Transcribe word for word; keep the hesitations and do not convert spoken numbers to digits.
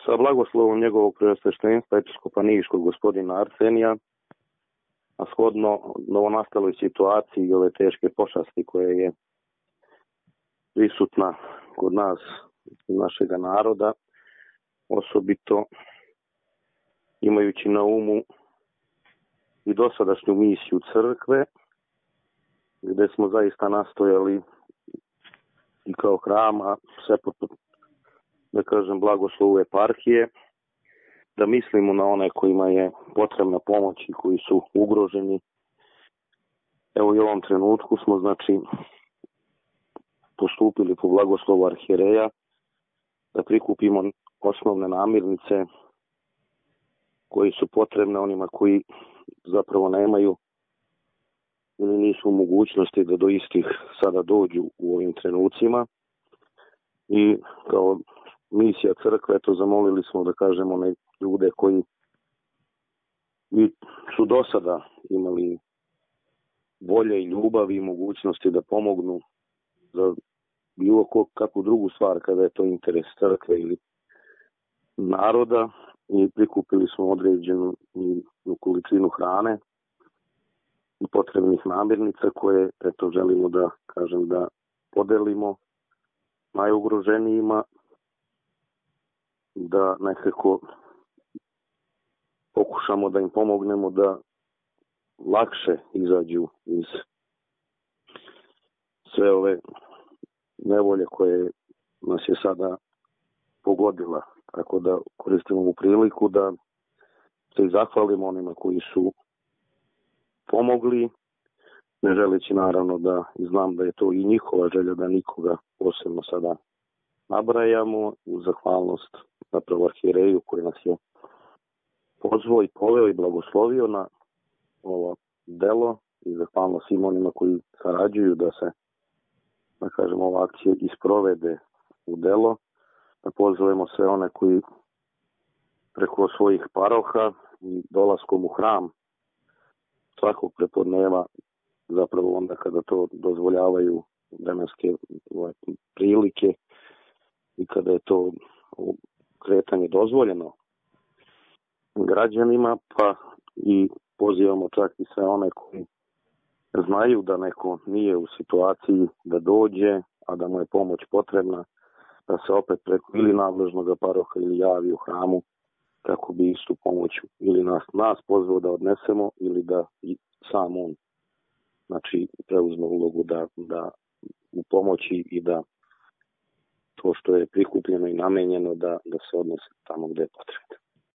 sa blagoslovom njegovog preosveštenstva episkopa Niškog gospodina Arsenija, a shodno novonastaloj situaciji i ove teške pošasti koje je prisutna kod nas, našega naroda, osobito imajući na umu i dosadašnju misiju crkve, gdje smo zaista nastojali i kao hrama, sve pod, da kažem, blagoslovu eparhije, da mislimo na one kojima je potrebna pomoć i koji su ugroženi. Evo i u ovom trenutku smo, znači, postupili po blagoslovu arhijereja da prikupimo osnovne namirnice koji su potrebne onima koji zapravo nemaju ili nisu u mogućnosti da do istih sada dođu u ovim trenucima. I kao misija crkve, to zamolili smo, da kažemo, one ljude koji su do sada imali volje i ljubav i mogućnosti da pomognu za bilo kakvu drugu stvar kada je to interes crkve ili naroda, i prikupili smo određenu količinu hrane i potrebnih namirnica koje, eto, želimo da kažem da podelimo najugroženijima, da nekako pokušamo da im pomognemo da lakše izađu iz sve ove nevolje koje nas je sada pogodila. Tako da koristimo ovu priliku da se i zahvalimo onima koji su pomogli, ne želeći naravno da, znam da je to i njihova želja, da nikoga posebno sada nabrajamo, u zahvalnost zapravo arhijereju koji nas je pozvao i poveo i blagoslovio na ovo delo, i zahvalno svim onima koji sarađuju da se, da kažem, ova akcija isprovede u delo, da pozovemo sve one koji preko svojih paroha i dolaskom u hram svakog prepodneva, zapravo onda kada to dozvoljavaju vremenske prilike i kada je to kretanje dozvoljeno građanima, pa i pozivamo čak i sve one koji znaju da neko nije u situaciji da dođe, a da mu je pomoć potrebna, da se opet preko ili nadležnog paroha ili javi u hramu kako bi istu pomoć ili nas, nas pozvao da odnesemo ili da i sam on, znači, preuzme ulogu da, da u pomoći i da to što je prikupljeno i namenjeno da, da se odnese tamo gdje je potrebno.